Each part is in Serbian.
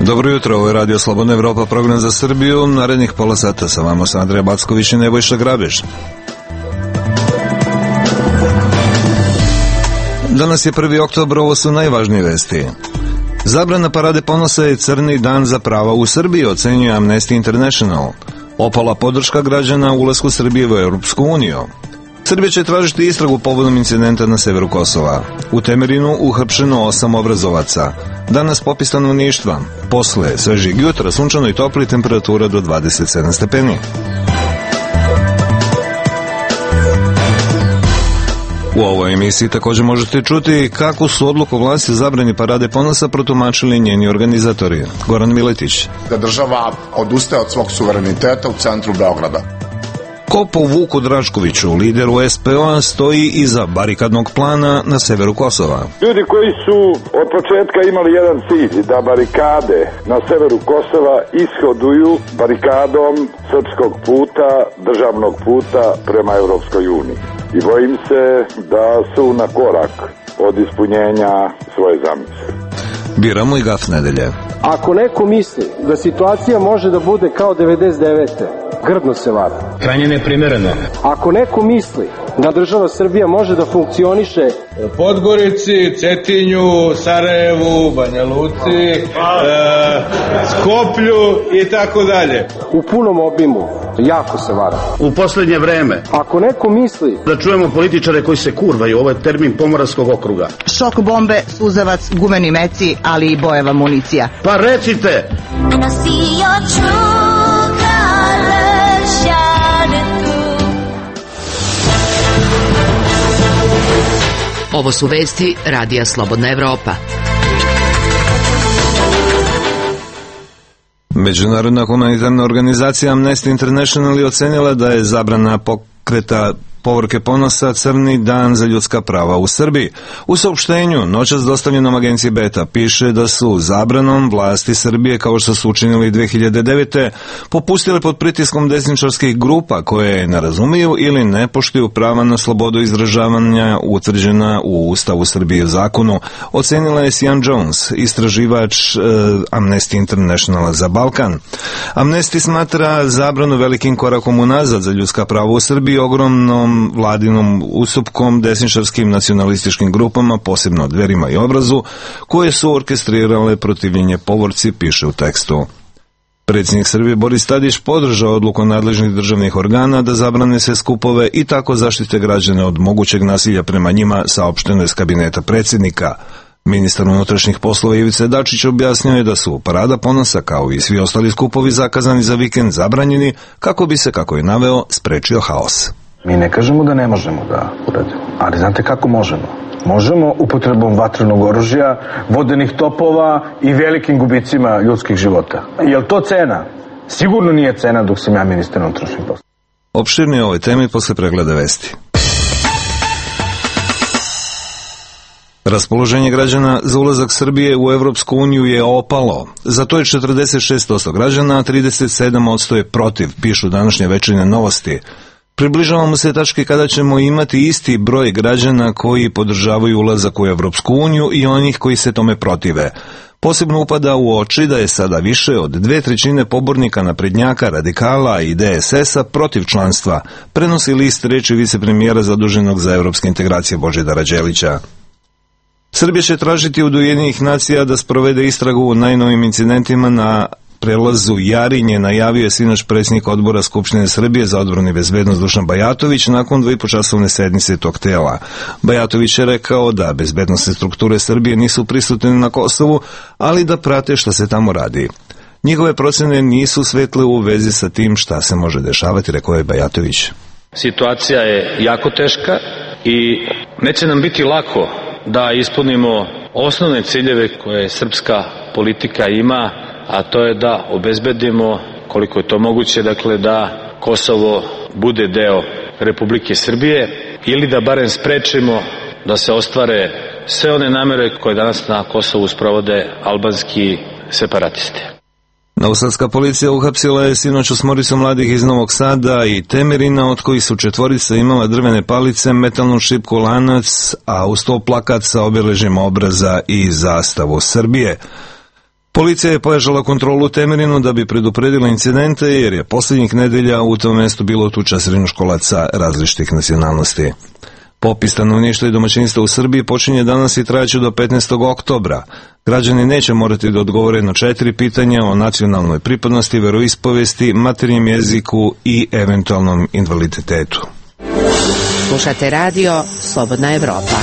Dobro jutro, ovo je Radio Slobodna Evropa, program za Srbiju. Narednih pola sata sa vama su Andreja Backović i Nebojša Grabež. Danas je 1. oktobar, ovo su najvažnije vesti. Zabrana parade ponosa je crni dan za prava u Srbiji, ocenjuje Amnesty International. Opala podrška građana ulasku Srbije u Europsku uniju. Srbija će tražiti istragu povodom incidenta na severu Kosova. U Temerinu uhapšeno 8 obrazovaca. Danas popis stanovništva. Posle svežijeg jutra sunčano i topli, temperatura do 27 stepeni. U ovoj emisiji također možete čuti kako su odluku vlasti o zabrani parade ponosa protumačili njeni organizatori. Goran Miletić. Da država odustaje od svog suvereniteta u centru Beograda. Ko po Vuku Draškoviću, lideru SPO-a, stoji iza barikadnog plana na severu Kosova? Ljudi koji su od početka imali jedan cilj, da barikade na severu Kosova ishoduju barikadom srpskog puta, državnog puta prema Europskoj uniji. I bojim se da su na korak od ispunjenja svoje zamisli. Biramo i gaf nedelje. Ako neko misli da situacija može da bude kao 99. grdno se vara. Krajnje neprimereno. Ako neko misli da država Srbija može da funkcioniše u Podgorici, Cetinju, Sarajevu, Banja Luci, Skoplju i tako dalje, u punom obimu, jako se vara. U poslednje vreme, ako neko misli da čujemo političare koji se kurvaju, ovo je termin Pomoravskog okruga. Šok bombe, suzavac, gumeni meci, ali i bojeva municija. Pa recite! Ovo su vesti Radija Slobodna Evropa. Međunarodna humanitarna organizacija Amnesty International je ocenila da je zabrana pokreta povorke ponosa crni dan za ljudska prava u Srbiji. U saopštenju noćas dostavljenom agenciji Beta piše da su zabranom vlasti Srbije, kao što su učinili 2009. popustile pod pritiskom desničarskih grupa koje ne razumiju ili ne poštuju prava na slobodu izražavanja utvrđena u Ustavu Srbije zakonu, ocenila je Sian Jones, istraživač Amnesty Internationala za Balkan. Amnesty smatra zabranu velikim korakom unazad za ljudska prava u Srbiji, ogromnom vladinom ustupkom desničarskim nacionalističkim grupama, posebno Dverima i Obrazu, koje su orkestrirale protivljenje povorci, piše u tekstu. Predsjednik Srbije Boris Tadić podržao odluku nadležnih državnih organa da zabrane sve skupove i tako zaštite građane od mogućeg nasilja prema njima, saopšteno iz kabineta predsjednika. Ministar unutrašnjih poslova Ivica Dačić objasnio je da su parada ponosa kao i svi ostali skupovi zakazani za vikend zabranjeni kako bi se, kako je naveo, sprečio haos. Mi ne kažemo da ne možemo da uradimo, ali znate kako možemo? Možemo upotrebom vatrenog oružja, vodenih topova i velikim gubicima ljudskih života. Je li to cena? Sigurno nije cena dok sam ja ministar unutrašnjih poslova. Opširnije o ovoj temi posle pregleda vesti. Raspoloženje građana za ulazak Srbije u Evropsku uniju je opalo. Za to je 46% građana, a 37% je protiv, pišu današnje Večernje novosti. Približavamo se tački kada ćemo imati isti broj građana koji podržavaju ulazak u Evropsku uniju i onih koji se tome protive. Posebno upada u oči da je sada više od 2/3 pobornika naprednjaka, radikala i DSS-a protiv članstva, prenosi list reči vicepremijera zaduženog za evropske integracije Božidara Đelića. Srbija će tražiti od Ujedinjenih nacija da sprovede istragu u najnovim incidentima na prelazu Jarinje, najavio je sinoć predsjednik odbora Skupštine Srbije za odbranu i bezbednost Dušan Bajatović nakon 2,5-časovne sednice tog tela. Bajatović je rekao da bezbednosne strukture Srbije nisu prisutne na Kosovu, ali da prate šta se tamo radi. Njihove procene nisu svetle u vezi sa tim šta se može dešavati, rekao je Bajatović. Situacija je jako teška i neće nam biti lako da ispunimo osnovne ciljeve koje srpska politika ima, a to je da obezbedimo, koliko je to moguće, dakle da Kosovo bude deo Republike Srbije ili da barem sprečimo da se ostvare sve one namere koje danas na Kosovu sprovode albanski separatisti. Novosadska policija uhapsila je sinoć 8 mladih iz Novog Sada i Temerina, od kojih su 4 imala drvene palice, metalnu šipku, lanac, a uz to plakat sa obeležjima obraza i zastavu Srbije. Policija je pojačala kontrolu u Temerinu da bi predupredila incidente jer je posljednjih nedelja u tom mjestu bilo tuča srednjoškolaca različitih nacionalnosti. Popis stanovništva i domaćinstva u Srbiji počinje danas i trajaće do 15. oktobra. Građani neće morati da odgovore na 4 pitanja o nacionalnoj pripadnosti, veroispovesti, materinjem jeziku i eventualnom invaliditetu. Slušate radio Slobodna Evropa.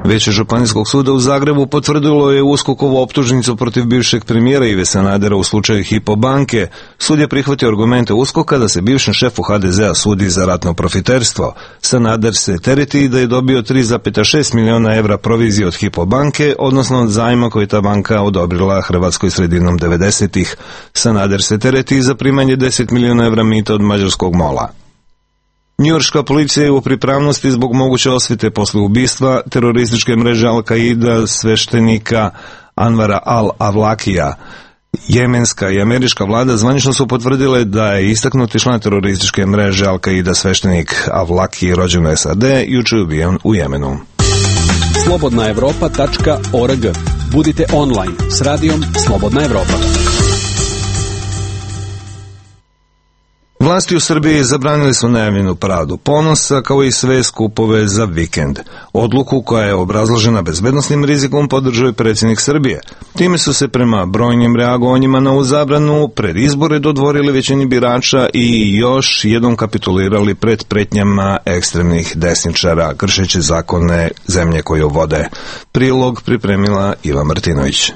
Veće Županijskog suda u Zagrebu potvrdilo je USKOK-ovu optužnicu protiv bivšeg premijera Ive Sanadera u slučaju Hypo banke. Sud je prihvatio argumente USKOK-a da se bivšem šefu HDZ-a sudi za ratno profiterstvo. Sanader se tereti da je dobio 3,6 miliona evra provizije od Hypo banke, odnosno od zajma koji ta banka odobrila Hrvatskoj sredinom 90-ih. Sanader se tereti za primanje 10 miliona evra mita od mađarskog mola. Njujorška policija je u pripravnosti zbog moguće osvete posle ubistva terorističke mreže Al-Qaida sveštenika Anvara al-Avlakija. Jemenska i američka vlada zvanično su potvrdile da je istaknuti član terorističke mreže Al-Qaida sveštenik Avlaki rođen u SAD juče ubijen u Jemenu. slobodnaevropa.org. Budite online s radijom Slobodna Evropa. Vlasti u Srbiji zabranili su najavljenu paradu ponosa kao i sve skupove za vikend. Odluku koja je obrazložena bezbednosnim rizikom podržao je predsjednik Srbije. Time su se prema brojnim reagovanjima na ovu zabranu pred izbore dodvorili većini birača i još jednom kapitulirali pred pretnjama ekstremnih desničara kršeći zakone zemlje koju vode. Prilog pripremila Iva Martinović.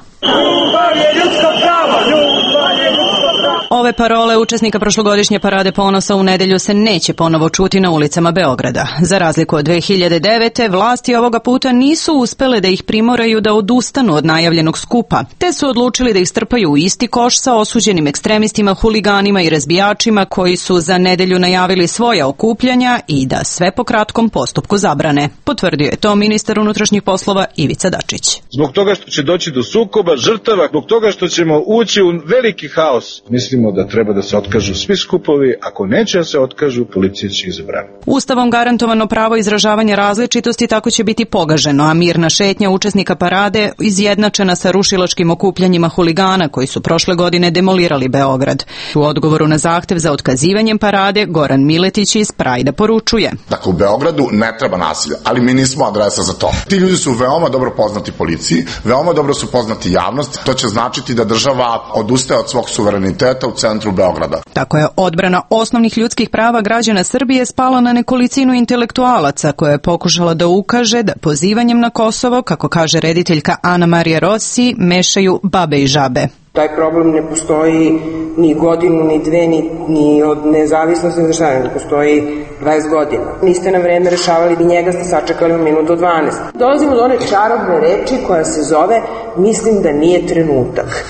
Ove parole učesnika prošlogodišnje parade ponosa u nedelju se neće ponovo čuti na ulicama Beograda. Za razliku od 2009. vlasti ovoga puta nisu uspele da ih primoraju da odustanu od najavljenog skupa, te su odlučili da ih strpaju u isti koš sa osuđenim ekstremistima, huliganima i razbijačima koji su za nedelju najavili svoja okupljanja i da sve po kratkom postupku zabrane. Potvrdio je to ministar unutrašnjih poslova Ivica Dačić. Zbog toga što će doći do sukoba, žrtava, zbog toga što ćemo ući u veliki haos. Mislimo da treba da se otkažu svi skupovi, ako neće da se otkažu, policija će ih zabraniti. Ustavom garantovano pravo izražavanja različitosti tako će biti pogaženo, a mirna šetnja učesnika parade izjednačena sa rušilačkim okupljanjima huligana koji su prošle godine demolirali Beograd. U odgovoru na zahtev za otkazivanjem parade, Goran Miletić iz Prajda poručuje. Dakle, u Beogradu ne treba nasilja, ali mi nismo adresa za to. Ti ljudi su veoma dobro poznati policiji, veoma dobro su poznati javnosti. To će značiti da država odustaje od svog suvereniteta u centru Beograda. Tako je odbrana osnovnih ljudskih prava građana Srbije spala na nekolicinu intelektualaca koja je pokušala da ukaže da pozivanjem na Kosovo, kako kaže rediteljka Ana Marija Rossi, mešaju babe i žabe. Taj problem ne postoji ni godinu, ni dve, ni od nezavisnosti države, ne postoji 20 godina. Niste na vreme rešavali, ni njega ste sačekali u minutu 12. Dolazimo do one čarobne reči koja se zove mislim da nije trenutak.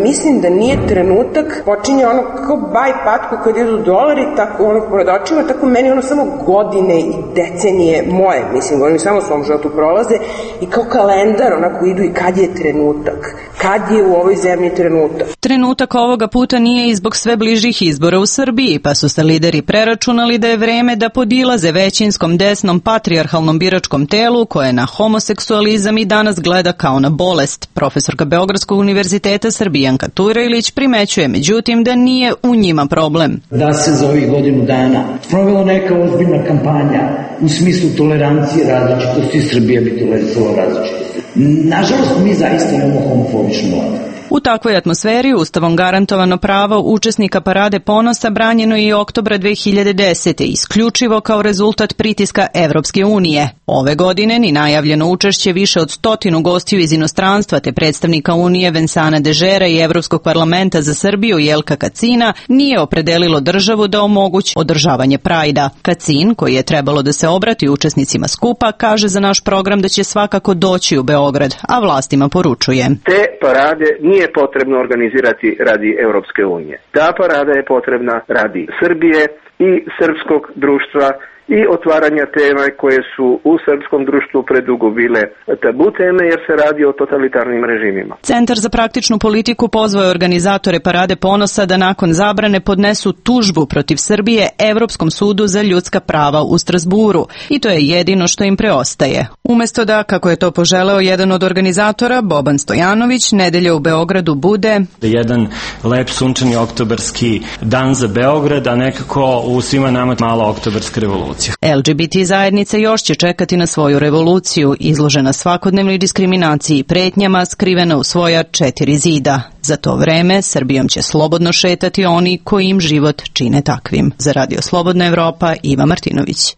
Mislim da nije trenutak, počinje ono kako baj patku kad idu dolari, tako ono pored očima, tako meni ono samo godine i decenije moje, oni samo u svom životu prolaze i kao kalendar onako idu i kad je trenutak. Kad je u ovoj zemlji trenutak? Trenutak ovoga puta nije i zbog sve bližih izbora u Srbiji, pa su se lideri preračunali da je vreme da podilaze većinskom desnom patrijarhalnom biračkom telu koje na homoseksualizam i danas gleda kao na bolest. Profesorka Beogradskog univerziteta Srbijanka Turajlić primećuje međutim da nije u njima problem. Da se za ovih godinu dana sprovela neka ozbiljna kampanja u smislu tolerancije različitosti, Srbija bi tolerisala različitosti. Nažalost, mi zaista imamo homofobičnu vladu. U takvoj atmosferi Ustavom garantovano pravo učesnika parade ponosa branjeno je i oktobra 2010. isključivo kao rezultat pritiska Evropske unije. Ove godine ni najavljeno učešće više od 100 gostiju iz inostranstva te predstavnika Unije Vensana Dežera i Evropskog parlamenta za Srbiju Jelka Kacina nije opredelilo državu da omogući održavanje Prajda. Kacin, koji je trebalo da se obrati učesnicima skupa, kaže za naš program da će svakako doći u Beograd, a vlastima poručuje. Te parade nije potrebno organizirati radi Europske unije. Ta parada je potrebna radi Srbije i srpskog društva i otvaranja tema koje su u srpskom društvu predugo bile tabu teme jer se radi o totalitarnim režimima. Centar za praktičnu politiku pozvao je organizatore Parade ponosa da nakon zabrane podnesu tužbu protiv Srbije Evropskom sudu za ljudska prava u Strasburu i to je jedino što im preostaje. Umesto da, kako je to poželeo jedan od organizatora, Boban Stojanović, nedelja u Beogradu bude jedan lep sunčani oktobarski dan za Beograd, a nekako u svima nama mala oktobarska revolucija. LGBT zajednica još će čekati na svoju revoluciju, izložena svakodnevnoj diskriminaciji i pretnjama, skrivena u svoja 4 zida. Za to vreme Srbijom će slobodno šetati oni koji im život čine takvim. Za Radio Slobodna Evropa, Iva Martinović.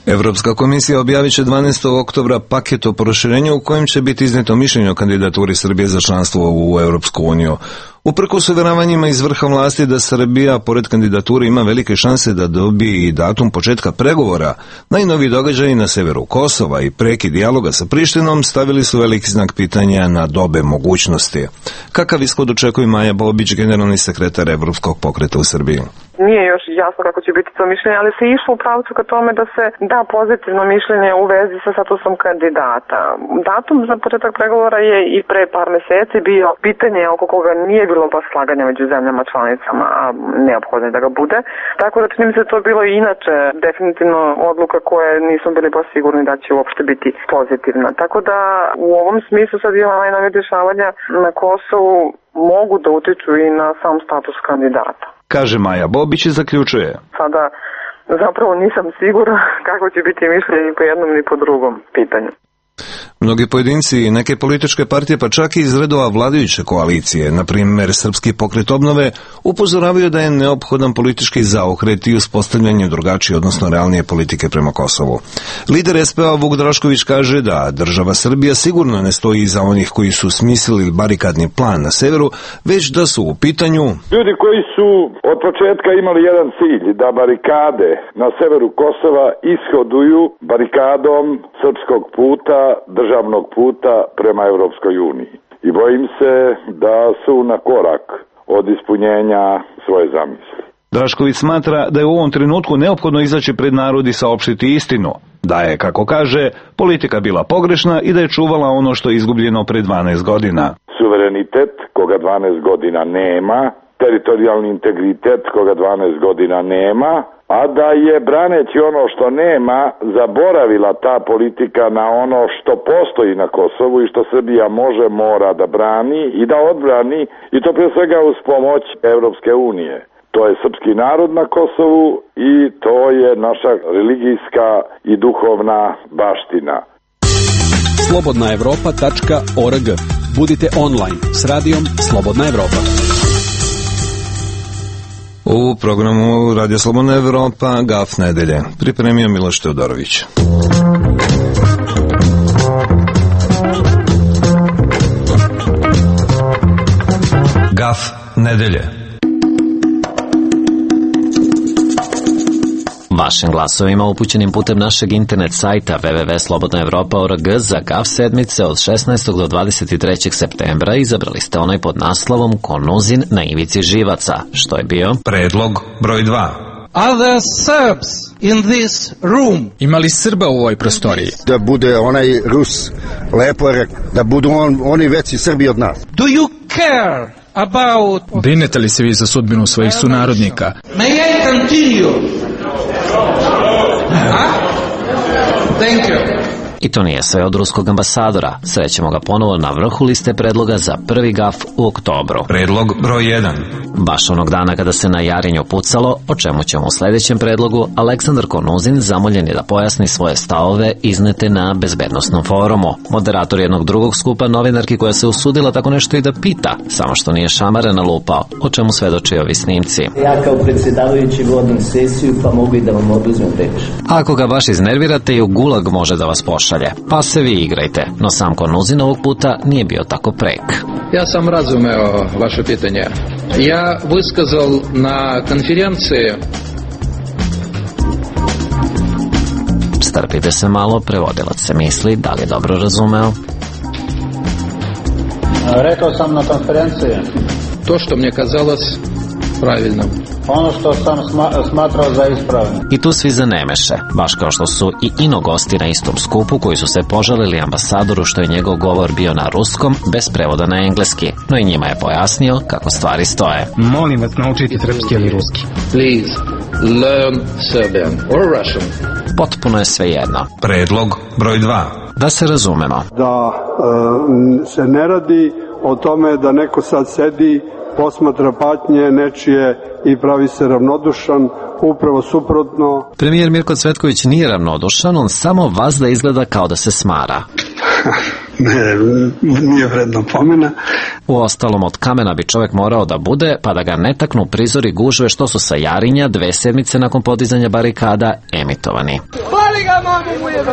Evropska komisija objavit će 12. oktobra paket o proširenju u kojem će biti izneto mišljenje o kandidaturi Srbije za članstvo u Europsku uniju. Uprkos uvjeravanjima iz vrha vlasti da Srbija, pored kandidature, ima velike šanse da dobije i datum početka pregovora, najnoviji događaji na severu Kosova i prekid dijaloga sa Prištinom stavili su veliki znak pitanja na dobe mogućnosti. Kakav ishod očekuje Maja Bobić, generalni sekretar Evropskog pokreta u Srbiji? Nije još jasno kako će biti to mišljenje, ali se išlo u pravcu ka tome da se da pozitivno mišljenje u vezi sa statusom kandidata. Datum za početak pregovora je i pre par meseci bio pitanje oko koga nije bilo baš slaganja među zemljama članicama, a neophodno je da ga bude. Tako da čini mi se to bilo i inače definitivno odluka koje nismo bili baš sigurni da će uopšte biti pozitivna. Tako da u ovom smislu sad je najnovije dešavanja na Kosovu mogu da utiču i na sam status kandidata. Kaže Maja Bobić i zaključuje. Sada zapravo nisam sigurna kako će biti mišljenje ni po jednom ni po drugom pitanju. Mnogi pojedinci i neke političke partije, pa čak i iz redova vladajuće koalicije, na primjer Srpski pokret obnove, upozoravaju da je neophodan politički zaokret i uspostavljanje drugačije, odnosno realnije politike prema Kosovu. Lider SPA Vuk Drašković kaže da država Srbija sigurno ne stoji iza onih koji su smislili barikadni plan na severu, već da su u pitanju ljudi koji su od početka imali jedan cilj, da barikade na severu Kosova ishoduju barikadom srpskog puta, državnog puta prema Evropskoj uniji. I bojim se da su na korak od ispunjenja svoje zamisli. Drašković smatra da je u ovom trenutku neophodno izaći pred narod i saopštiti istinu, da je, kako kaže, politika bila pogrešna i da je čuvala ono što je izgubljeno pre 12 godina. Suverenitet koga 12 godina nema, teritorijalni integritet koga 12 godina nema, a da je braneći ono što nema zaboravila ta politika na ono što postoji na Kosovu i što Srbija može, mora da brani i da odbrani, i to pre svega uz pomoć Evropske unije. To je srpski narod na Kosovu i to je naša religijska i duhovna baština. slobodnaevropa.org. Budite online s radijom Slobodna Evropa. U programu Radio Slobodna Evropa Gaf nedelje pripremio Miloš Teodorović. Gaf nedelje. Vašim glasovima upućenim putem našeg internet sajta www.slobodnaevropa.org za GAF sedmice od 16. do 23. septembra izabrali ste onaj pod naslovom Konuzin na ivici živaca, što je bio predlog broj 2. Are there Serbs in this room? Ima li Srba u ovoj prostoriji? Da bude onaj Rus lepo rekao, da budu oni veći Srbi od nas. Do you care about... Brinete li se vi za sudbinu svojih sunarodnika? May I continue? Thank you. I to nije sve od ruskog ambasadora. Srećemo ga ponovo na vrhu liste predloga za prvi GAF u oktobru. Predlog broj 1. Baš onog dana kada se na Jarinju pucalo, o čemu ćemo u sledećem predlogu, Aleksandar Konuzin zamoljen je da pojasni svoje stavove iznete na bezbednostnom forumu. Moderator jednog drugog skupa novinarki koja se usudila tako nešto i da pita, samo što nije šamare nalupao, o čemu svedoči ovi snimci. Ja kao predsjedavajući vodim sesiju, pa mogu i da vam oduzmem reč. Ako ga baš iznervirate, i u gulag može da vas pošalje. Pa se vi igrajte, no sam Konuzin ovog puta nije bio tako prek. Ja sam razumeo vaše pitanje. Ja vyskazal na konferenciji. Strpite se malo, prevodilac se misli, da li je dobro razumeo? Rekao sam na konferenciji. то, что мне казалось правильным. Ono što sam smatrao za ispravno. I tu svi zanemeše, baš kao što su i ino gosti na istom skupu koji su se požalili ambasadoru što je njegov govor bio na ruskom bez prevoda na engleski, no i njima je pojasnio kako stvari stoje. Molim vas, naučiti srpski ili ruski. Please, learn Serbian or Russian. Potpuno je svejedno. Predlog broj 2. Da se razumemo. Da se ne radi o tome da neko sad sedi, posmatra patnje nečije i pravi se ravnodušan, upravo suprotno. Premijer Mirko Cvetković nije ravnodušan, on samo vazda izgleda kao da se smara. Ne, nije vredno pomena. Uostalom, od kamena bi čovjek morao da bude, pa da ga ne taknu prizori gužve što su sa Jarinja 2 sedmice nakon podizanja barikada emitovani. Pali ga, mamu mu je!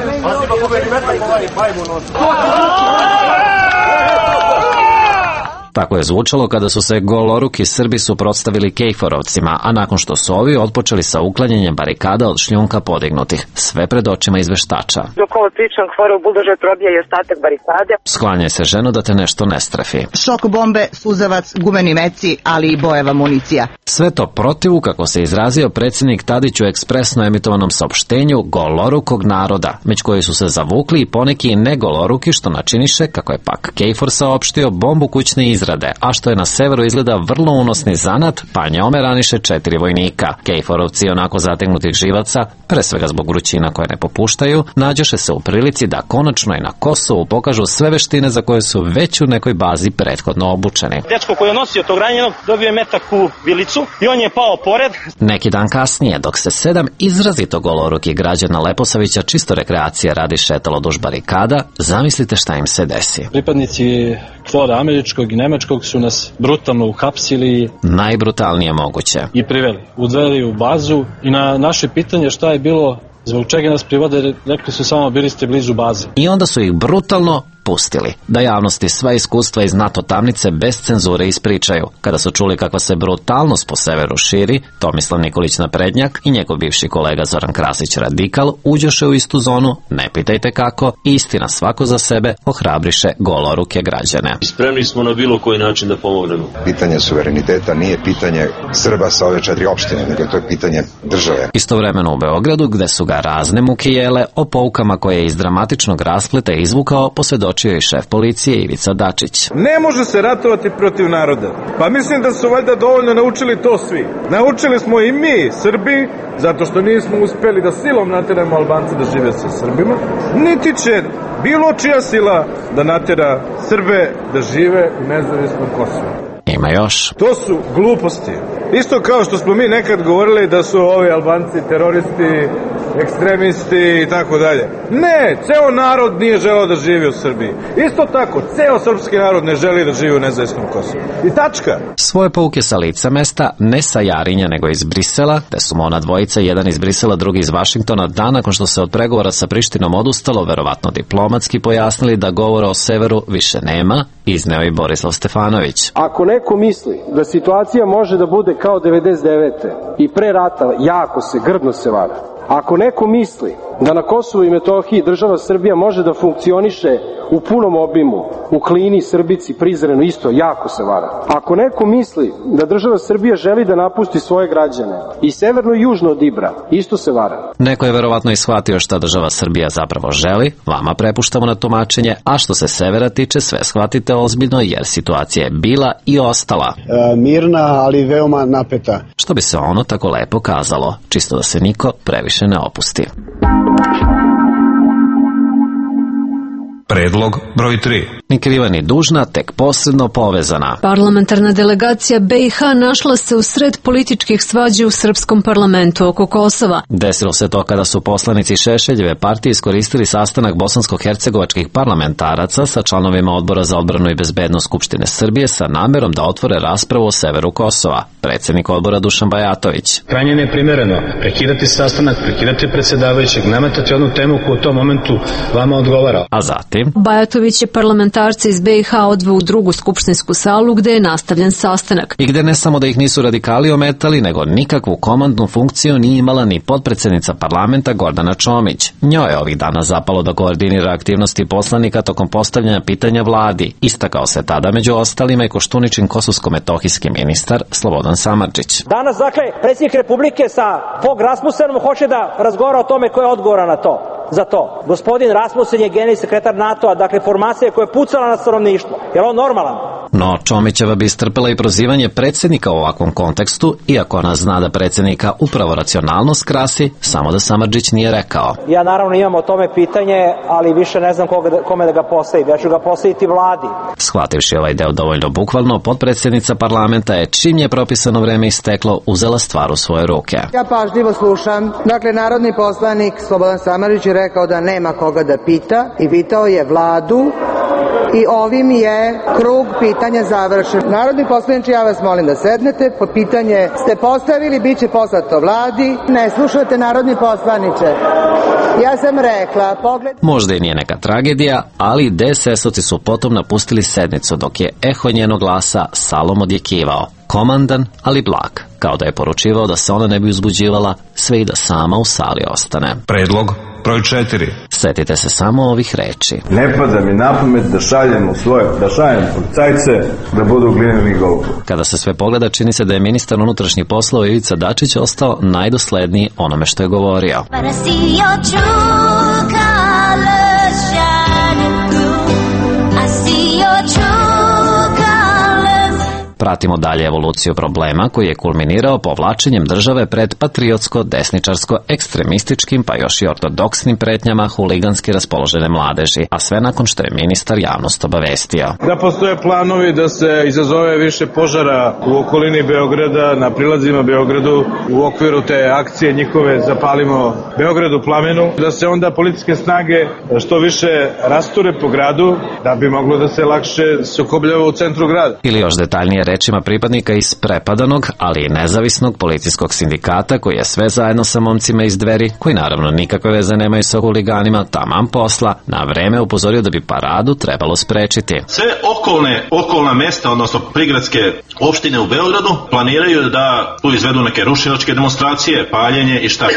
Tako je zvučalo kada su se goloruki Srbi suprotstavili Kejforovcima, a nakon što su ovi otpočeli sa uklanjanjem barikada od šljunka podignutih, sve pred očima izveštača. Dok ovo pričam, hvore u buldožer probija i ostatak barikade. Sklanjaj se, ženo, da te nešto ne strefi. Šok bombe, suzavac, gumeni meci, ali i bojeva municija. Sve to protivu, kako se izrazio predsjednik Tadić u ekspresno emitovanom saopštenju, golorukog naroda, među koji su se zavukli i poneki negoloruki, što načiniše, kako je pak Kejfor saopštio, bombu kućne izrade, a što je na severu izgleda vrlo unosni zanat, pa njome raniše 4 vojnika. Kejforovci, onako zategnutih živaca, pre svega zbog vrućina koje ne popuštaju, nađoše se u prilici da konačno i na Kosovu pokažu sve veštine za koje su već u nekoj bazi prethodno obučeni. Dečko koji je nosio tog ranjenog dobio je metak u vilicu i on je pao pored. Neki dan kasnije, dok se 7 izrazito golorukih građana Leposavića čisto rekreacije radi šetalo duž barikada, zamislite šta im se desi. Pripadnici KFOR-a američkog i nemačkog su nas brutalno uhapsili. Najbrutalnije moguće. I priveli. Udveli u bazu i na naše pitanje šta je bilo, zbog čega nas privode, rekli su samo bili ste blizu baze. I onda su ih brutalno pustili, da javnosti sva iskustva iz NATO tamnice bez cenzure ispričaju. Kada su čuli kakva se brutalnost po severu širi, Tomislav Nikolić Naprednjak i njegov bivši kolega Zoran Krasić Radikal uđoše u istu zonu, ne pitajte kako, istina svako za sebe ohrabriše goloruke građane. Spremni smo na bilo koji način da pomognemo. Pitanje suvereniteta nije pitanje Srba sa ove 4 opštine, nego to je pitanje države. Istovremeno u Beogradu, gde su ga razne muke jele, o poukama koje je iz dramatičnog raspleta izvukao, posvedočio i šef policije Ivica Dačić. Ne može se ratovati protiv naroda. Pa mislim da su valjda dovoljno naučili to svi. Naučili smo i mi, Srbi, zato što nismo uspeli da silom nateramo Albance da žive sa Srbima, niti će bilo čija sila da natera Srbe da žive u nezavisnom Kosovu. Ima još. To su gluposti. Isto kao što smo mi nekad govorili da su ovi Albanci teroristi, ekstremisti i tako dalje. Ne, ceo narod nije želeo da živi u Srbiji. Isto tako, ceo srpski narod ne želi da živi u nezavisnom Kosovu. I tačka. Svoje pouke sa lica mesta, ne sa Jarinja, nego iz Brisela, gde su mu ona dvojica, jedan iz Brisela, drugi iz Vašingtona, dan nakon što se od pregovora sa Prištinom odustalo, verovatno diplomatski pojasnili da govora o severu više nema, izneo i Borislav Stefanović. Ako neko misli da situacija može da bude kao 99. i pre rata, jako se, grdno se vara. Ako neko misli da na Kosovu i Metohiji država Srbija može da funkcioniše u punom obimu, u Klini, Srbici, Prizrenu, isto, jako se vara. Ako neko misli da država Srbija želi da napusti svoje građane i severno i južno od Ibra, isto se vara. Neko je verovatno i shvatio šta država Srbija zapravo želi, vama prepuštamo na tumačenje, a što se severa tiče, sve shvatite ozbiljno jer situacija je bila i ostala. Mirna, ali veoma napeta. Što bi se ono tako lepo kazalo, čisto da se niko previše ne opusti. Predlog broj 3. Ni kriva ni dužna, tek posredno povezana. Parlamentarna delegacija BiH našla se u sred političkih svađi u srpskom parlamentu oko Kosova. Desilo se to kada su poslanici Šešeljeve partije iskoristili sastanak bosansko-hercegovačkih parlamentaraca sa članovima Odbora za odbranu i bezbednost Skupštine Srbije sa namerom da otvore raspravu o severu Kosova. Predsjednik odbora Dušan Bajatović. Krajnje neprimereno prekidati sastanak, prekidati predsjedavajućeg, nametati jednu temu koja u tom momentu vama odgovara. A zatim Bajatović je parlamentarna parlamentarce iz BiH odveo u drugu skupštinsku salu gde je nastavljen sastanak. I gde ne samo da ih nisu radikali ometali, nego nikakvu komandnu funkciju nije imala ni potpredsednica parlamenta Gordana Čomić. Njoj je ovih dana zapalo da koordinira aktivnosti poslanika tokom postavljanja pitanja vladi. Istakao se tada među ostalima i Koštuničin kosovsko-metohijski ministar Slobodan Samardžić. Danas, dakle, predsjednik Republike sa Fogh Rasmussenom hoće da razgovara o tome ko je odgovoran na to. Za to. Gospodin Rasmussen je generalni sekretar NATO-a, dakle formacija koja je pucala na stanovništvo. Je li on normalan? No, Čomićeva bi istrpela i prozivanje predsjednika u ovakvom kontekstu, iako ona zna da predsjednika upravo racionalnost krasi, samo da Samardžić nije rekao. Ja naravno imam o tome pitanje, ali više ne znam kome da ga postavim. Ja ću ga postaviti vladi. Shvativši ovaj deo dovoljno bukvalno, potpredsjednica parlamenta je, čim je propisano vreme isteklo, uzela stvar u svoje ruke. Ja pažljivo slušam. Dakle, narodni poslanik Slobodan Samardžić je rekao da nema koga da pita i pitao je vladu i ovim je krug pitanja završen. Narodni poslanici, ja vas molim da sednete. Po pitanje ste postavili, bit će poslato vladi. Ne slušate, narodni poslaniče. Ja sam rekla, pogled... Možda i nije neka tragedija, ali DSS-ovci su potom napustili sednicu dok je eho njenog glasa salom odjekivao. Komandan, ali blag, kao da je poručivao da se ona ne bi uzbuđivala, sve i da sama u sali ostane. Predlog broj 4. Setite se samo ovih reči. Ne pada mi na pamet da šaljem policajce da budu glineni golub. Kada se sve pogleda, čini se da je ministar unutrašnjih poslova Ivica Dačić ostao najdosledniji onome što je govorio. Pratimo dalje evoluciju problema koji je kulminirao povlačenjem države pred patriotsko-desničarsko-ekstremističkim pa još i ortodoksnim pretnjama huliganski raspoložene mladeži, a sve nakon što je ministar javnost obavestio. Da postoje planovi da se izazove više požara u okolini Beograda, na prilazima Beogradu, u okviru te akcije njihove Zapalimo Beogradu plamenu, da se onda policijske snage što više rasture po gradu, da bi moglo da se lakše sukobljava u centru grada. Ili još detaljnije rečima pripadnika iz prepadanog, ali i nezavisnog policijskog sindikata koji je sve zajedno sa momcima iz Dveri, koji naravno nikakve veze nemaju sa huliganima, taman posla, na vreme upozorio da bi paradu trebalo sprečiti. Sve okolna mesta, odnosno prigradske opštine u Beogradu, planiraju da tu izvedu neke rušilačke demonstracije, paljenje i šta.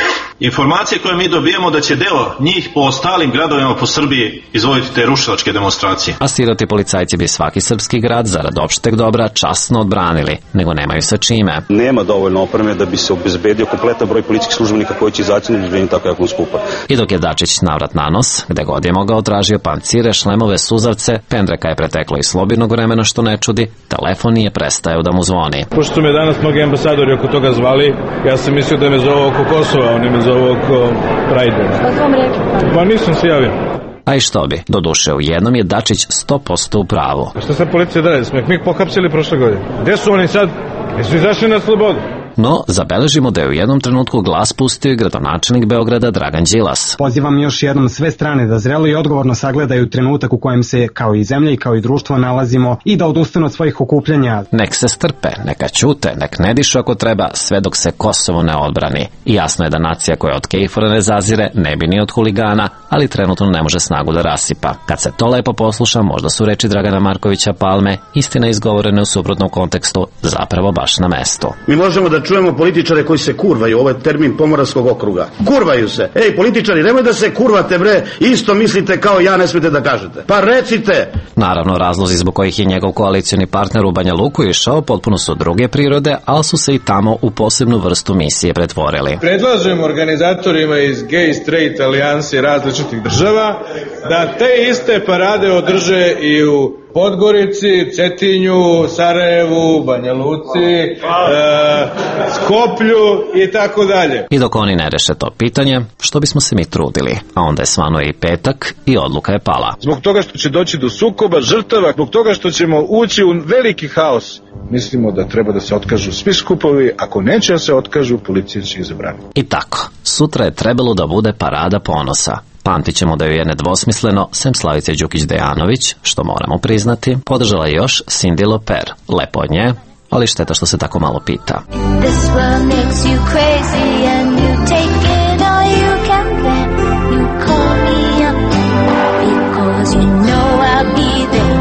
Informacije koje mi dobijemo da će deo njih po ostalim gradovima po Srbiji izvoditi te rušilačke demonstracije. A siroti policajci bi svaki srpski grad zarad opšteg dobra časno odbranili, nego nemaju sa čime. Nema dovoljno opreme da bi se obezbedio kompletan broj policijskih službenika koji će izaći na izvedbenje tako jako skupa. I dok je Dačić navrat na nos, gde god je mogao tražio pancire, šlemove, suzavce, pendreka je preteklo i slobodnog vremena što ne čudi, telefon nije prestajao da mu zvoni. Pošto su me danas mnogi ambasadori oko toga zvali, ja sam mislio da me zove oko Kosova, oni me zove oko Prajde. Šta su vam rekli? Pa nisam se javio. A i što bi, doduše u jednom je Dačić 100% u pravu. A šta sad policija da radi? Smo ih mi pohapsili prošle godine. Gde su oni sad? Jesu izašli na slobodu? No, zabeležimo da je u jednom trenutku glas pustio i gradonačelnik Beograda Dragan Đilas. Pozivam još jednom sve strane da zrelo i odgovorno sagledaju trenutak u kojem se kao i zemlja i kao i društvo nalazimo i da odustanu od svojih okupljanja. Nek se strpe, neka ćute, nek ne dišu ako treba, sve dok se Kosovo ne odbrani. I jasno je da nacija koja od Kejfora ne zazire ne bi ni od huligana, ali trenutno ne može snagu da rasipa. Kad se to lepo posluša, možda su reči Dragana Markovića Palme, istina izgovorene u suprotnom kontekstu, zapravo baš na mestu. Mi možemo da čujemo političare koji se kurvaju, ovo je termin Pomoravskog okruga. Kurvaju se. Ej, političari, nemoj da se kurvate, bre, isto mislite kao ja, ne smete da kažete. Pa recite! Naravno, razlozi zbog kojih je njegov koalicioni partner u Banja Luku išao potpuno su druge prirode, ali su se i tamo u posebnu vrstu misije pretvorili. Predlažem organizatorima iz gay straight alijansi različitih država da te iste parade održe i u Podgorici, Cetinju, Sarajevu, Banja Luci, Skoplju i tako dalje. I dok oni ne reše to pitanje, što bismo se mi trudili? A onda je svanuo i petak i odluka je pala. Zbog toga što će doći do sukoba, žrtava, zbog toga što ćemo ući u veliki haos, mislimo da treba da se otkažu svi skupovi, ako neće da se otkažu, policija će ih zabraniti. I tako, sutra je trebalo da bude parada ponosa. Pamtit ćemo da ju je nedvosmisleno, sem Slavice Đukić-Dejanović, što moramo priznati, podržala još Cindy Loper. Lepo od nje, ali šteta što se tako malo pita. You call me up because you know I'll be there.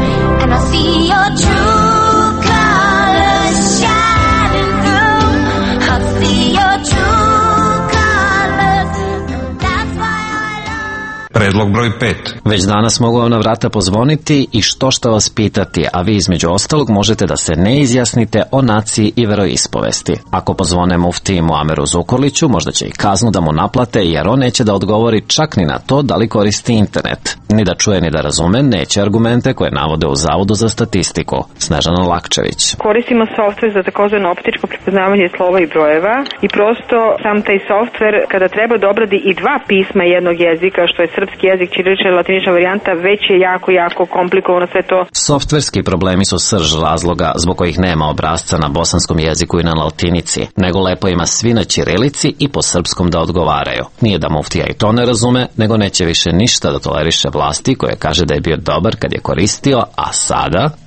Predlog broj 5. Već danas mogu vam na vrata pozvoniti i što vas pitati, a vi između ostalog možete da se ne izjasnite o naciji i veroispovesti. Ako pozvone muftiji Muameru Zukorliću, možda će i kaznu da mu naplate, jer on neće da odgovori čak ni na to da li koristi internet. Ni da čuje ni da razume, neće argumente koje navode u Zavodu za statistiku. Snežana Lakčević. Koristimo softver za takozvano optičko prepoznavanje slova i brojeva i prosto sam taj softver kada treba da obradi i dva pisma jednog jezika, što je srpski jezik, ćirilična i latinična varijanta, već je jako komplikovano sve to. Softverski problemi su srž razloga zbog kojih nema obrasca na bosanskom jeziku i na latinici, nego lepo ima svi na ćirilici i po srpskom da odgovaraju. Nije da muftija i to ne razume, nego neće više ništa da toleriše vlasti koje kaže da je bio dobar kad je koristio, a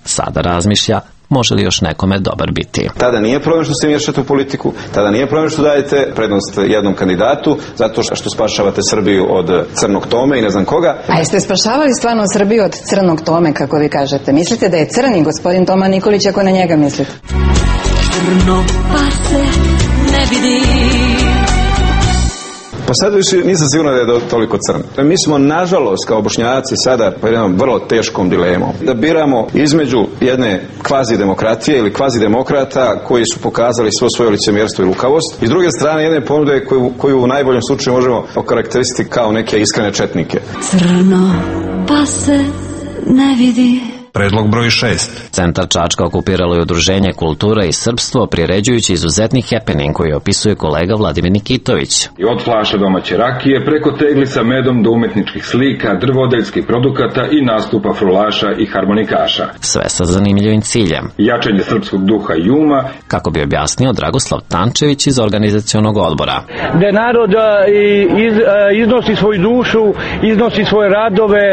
sada razmišlja može li još nekome dobar biti. Tada nije problem što se miješate u politiku, tada nije problem što dajete prednost jednom kandidatu, zato što spašavate Srbiju od crnog Tome i ne znam koga. A jeste spašavali stvarno Srbiju od crnog Tome, kako vi kažete? Mislite da je crni gospodin Toma Nikolić, ako na njega mislite? Crno pa se ne vidi. Pa sad više nisam sigurno da je toliko crn. Mi smo, nažalost, kao Bošnjaci sada pod jednom vrlo teškom dilemom. Da biramo između jedne kvazi demokratije ili kvazi demokrata koji su pokazali svo svoje licemjerstvo i lukavost i s druge strane jedne ponude koju u najboljem slučaju možemo okarakterisiti kao neke iskrene četnike. Crno pa se ne vidi. Predlog broj 6. Centar Čačka okupiralo je Udruženje Kultura i Srpstvo, priređujući izuzetni happening koji opisuje kolega Vladimir Nikitović. I od flaša domaće rakije, preko tegli sa medom do umetničkih slika, drvodeljskih produkata i nastupa frulaša i harmonikaša. Sve sa zanimljivim ciljem. Jačanje srpskog duha i uma, kako bi objasnio Dragoslav Tančević iz organizacionog odbora. Da narod iznosi svoju dušu, iznosi svoje radove,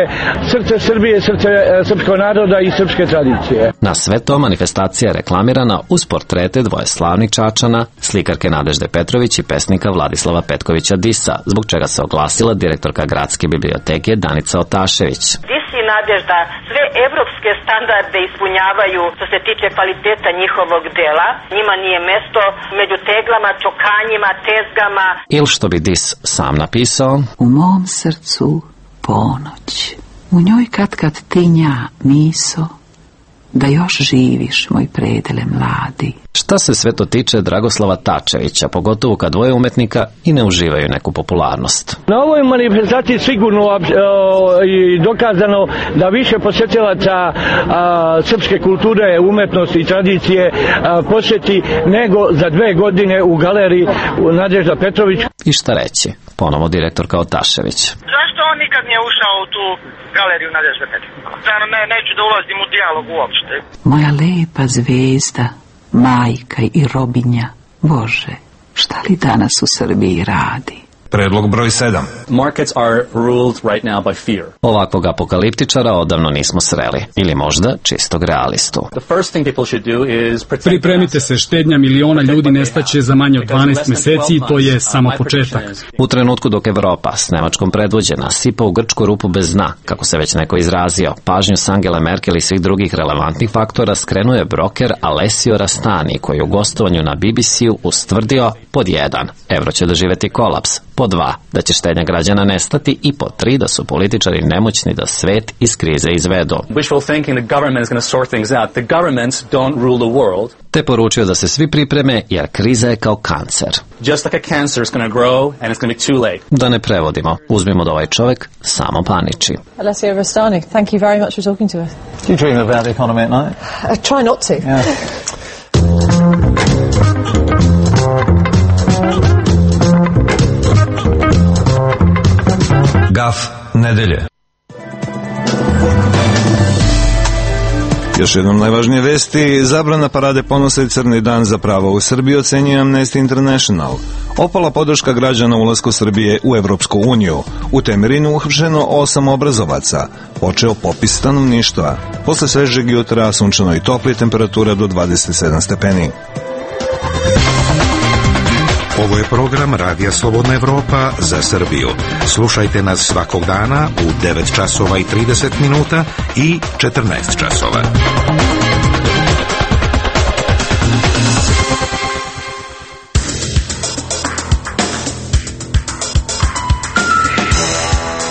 srce Srbije, srce srpskog naroda i srpske tradicije. Na sve to manifestacija je reklamirana uz portrete dvoje slavnih Čačana, slikarke Nadežde Petrović i pesnika Vladislava Petkovića Disa, zbog čega se oglasila direktorka Gradske biblioteke Danica Otašević. Dis i Nadežda sve evropske standarde ispunjavaju što se tiče kvaliteta njihovog dela. Njima nije mesto među teglama, čokanjima, tezgama. Ili što bi Dis sam napisao: U mom srcu ponoć. U njoj kad tinja miso, da još živiš, moj predele mladi. Šta se sve to tiče Dragoslava Tačevića, pogotovo kad dvoje umetnika i ne uživaju neku popularnost? Na ovoj manifestaciji sigurno i dokazano da više posjetilaca srpske kulture, umetnosti i tradicije posjeti nego za 2 godine u galeriji Nadežda Petrović. I šta reći? Ponovo direktorka Otašević. Zašto on nikad nije ušao u tu galeriju Nadežda Petrović? Neću da ulazim u dijalog uopšte. Moja lepa zvezda, majka i robinja, Bože, šta li danas u Srbiji radi? Predlog broj 7. Markets are ruled right now by fear. Ovakvog apokaliptičara odavno nismo sreli, ili možda čistog realistu. Pripremite se, štednja miliona ljudi nestaće za manje od 12 meseci i to je samo početak. U trenutku dok Evropa s Nemačkom predvođena sipa u grčku rupu bez dna, kako se već neko izrazio, pažnju s Angele Merkel i svih drugih relevantnih faktora skrenuje broker Alessio Rastani, koji u gostovanju na BBC-u ustvrdio: pod 1, evro će doživeti kolaps, pod 2, da će štednja građana nestati i pod 3, da su političari nemoćni da svet iz krize izvedu. Te poručio da se svi pripreme jer kriza je kao kancer. Da ne prevodimo, uzmimo da ovaj čovjek samo paniči. Alessio Rastani, thank you very much for talking to us. Do you dream about the economy at night? I try not to. Yeah. Gaf nedelje. Još jednom najvažnije vesti: zabrana parade ponosa i crni dan za pravo u Srbiji, ocenjuje Amnesty International. Opala podrška građana ulasku Srbije u Evropsku uniju. U Temerinu uhapšeno 8 obrazovaca. Počeo popis stanovništva. Posle svežeg jutra sunčano i topli, temperatura do 27 stepeni. Ovo je program Radija Slobodna Evropa za Srbiju. Slušajte nas svakog dana u 9 časova i 30 minuta i 14 časova.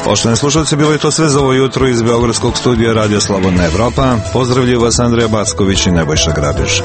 Poštovani slušalci, bilo je to sve za ovo jutro iz Beogradskog studija Radio Slobodna Evropa. Pozdravljaju vas Andrija Backović i Nebojša Grabiš.